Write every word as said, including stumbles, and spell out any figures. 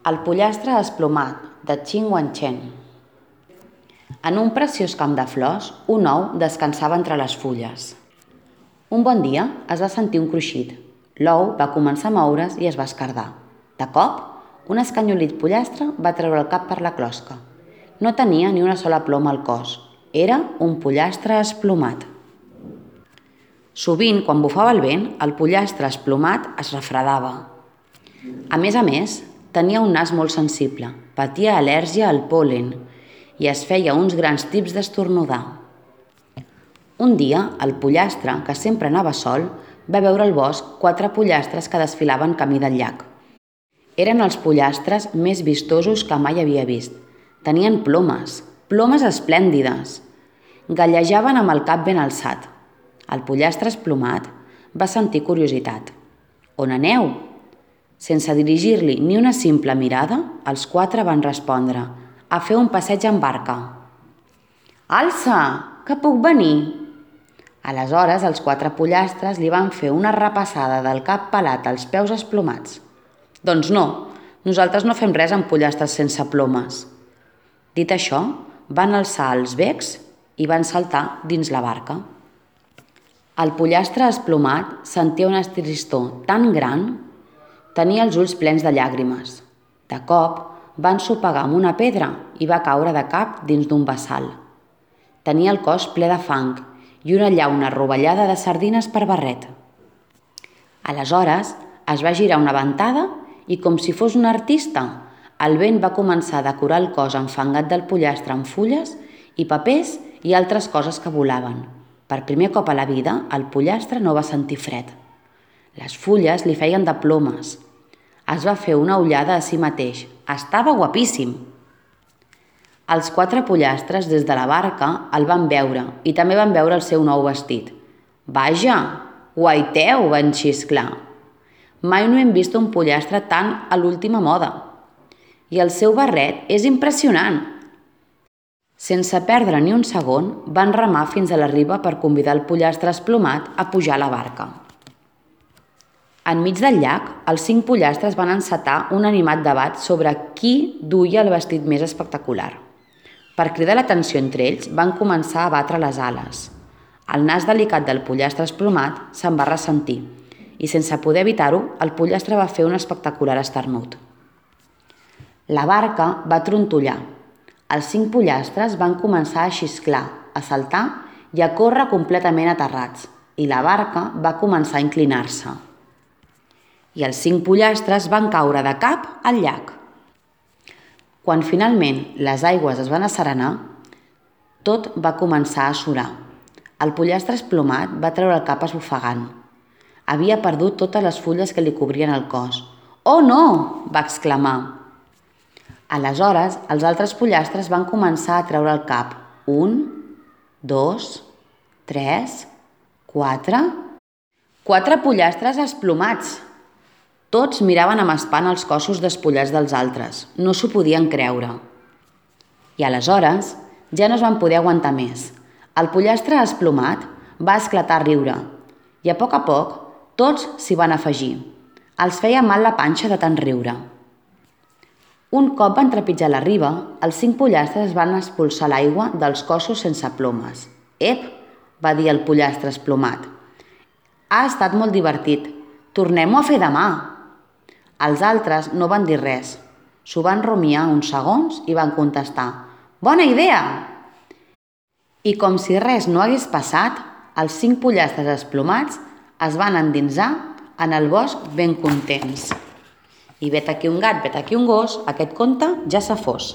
El pollastre esplomat, de Qin Wanchen. En un preciós camp de flors, un ou descansava entre les fulles. Un bon dia es va sentir un cruixit. L'ou va començar a moure's i es va esquerdar. De cop, un escanyolit pollastre va treure el cap per la closca. No tenia ni una sola ploma al cos. Era un pollastre esplomat. Sovint, quan bufava el vent, el pollastre esplomat es refredava. A més a més, tenia un nas molt sensible, patia al·lèrgia al pol·len i es feia uns grans tips d'esternudar. Un dia, el pollastre, que sempre anava sol, va veure al bosc quatre pollastres que desfilaven camí del llac. Eren els pollastres més vistosos que mai havia vist. Tenien plomes, plomes esplèndides. Gallejaven amb el cap ben alçat. El pollastre esplomat va sentir curiositat. On aneu? Sense dirigir-li ni una simple mirada, els quatre van respondre: a fer un passeig en barca. Alça, que puc venir? Aleshores, els quatre pollastres li van fer una repassada del cap pelat als peus esplomats. Doncs no, nosaltres no fem res amb pollastres sense plomes. Dit això, van alçar els becs i van saltar dins la barca. El pollastre esplomat sentia una tristor tan gran. Tenia els ulls plens de llàgrimes. De cop, va ensopegar amb una pedra i va caure de cap dins d'un bassal. Tenia el cos ple de fang i una llauna rovellada de sardines per barret. Aleshores, es va girar una ventada i, com si fos un artista, el vent va començar a decorar el cos enfangat del pollastre amb fulles i papers i altres coses que volaven. Per primer cop a la vida, el pollastre no va sentir fred. Les fulles li feien de plomes. Es va fer una ullada a si mateix. Estava guapíssim! Els quatre pollastres des de la barca el van veure i també van veure el seu nou vestit. Vaja, guaiteu, van xisclar. Mai no hem vist un pollastre tan a l'última moda. I el seu barret és impressionant! Sense perdre ni un segon, van remar fins a la riba per convidar el pollastre esplomat a pujar a la barca. Enmig del llac, els cinc pollastres van encetar un animat debat sobre qui duia el vestit més espectacular. Per cridar l'atenció entre ells, van començar a batre les ales. El nas delicat del pollastre esplomat se'n va ressentir i, sense poder evitar-ho, el pollastre va fer un espectacular esternut. La barca va trontollar. Els cinc pollastres van començar a xisclar, a saltar i a córrer completament aterrats, i la barca va començar a inclinar-se. I els cinc pollastres van caure de cap al llac. Quan finalment les aigües es van asserenar, tot va començar a surar. El pollastre esplomat va treure el cap esbufegant. Havia perdut totes les fulles que li cobrien el cos. «Oh, no!», va exclamar. Aleshores, els altres pollastres van començar a treure el cap. Un, dos, tres, quatre... Quatre pollastres esplomats! Tots miraven amb espant els cossos despullats dels altres. No s'ho podien creure. I aleshores ja no es van poder aguantar més. El pollastre esplomat va esclatar a riure i a poc a poc tots s'hi van afegir. Els feia mal la panxa de tant riure. Un cop van trepitjar la riba, els cinc pollastres van expulsar l'aigua dels cossos sense plomes. «Ep!», va dir el pollastre esplomat. «Ha estat molt divertit. Tornem-ho a fer demà!» Els altres no van dir res. S'ho van rumiar uns segons i van contestar: «Bona idea!» I com si res no hagués passat, els cinc pollastres esplomats es van endinsar en el bosc ben contents. I vet aquí un gat, vet aquí un gos, aquest conte ja s'ha fos.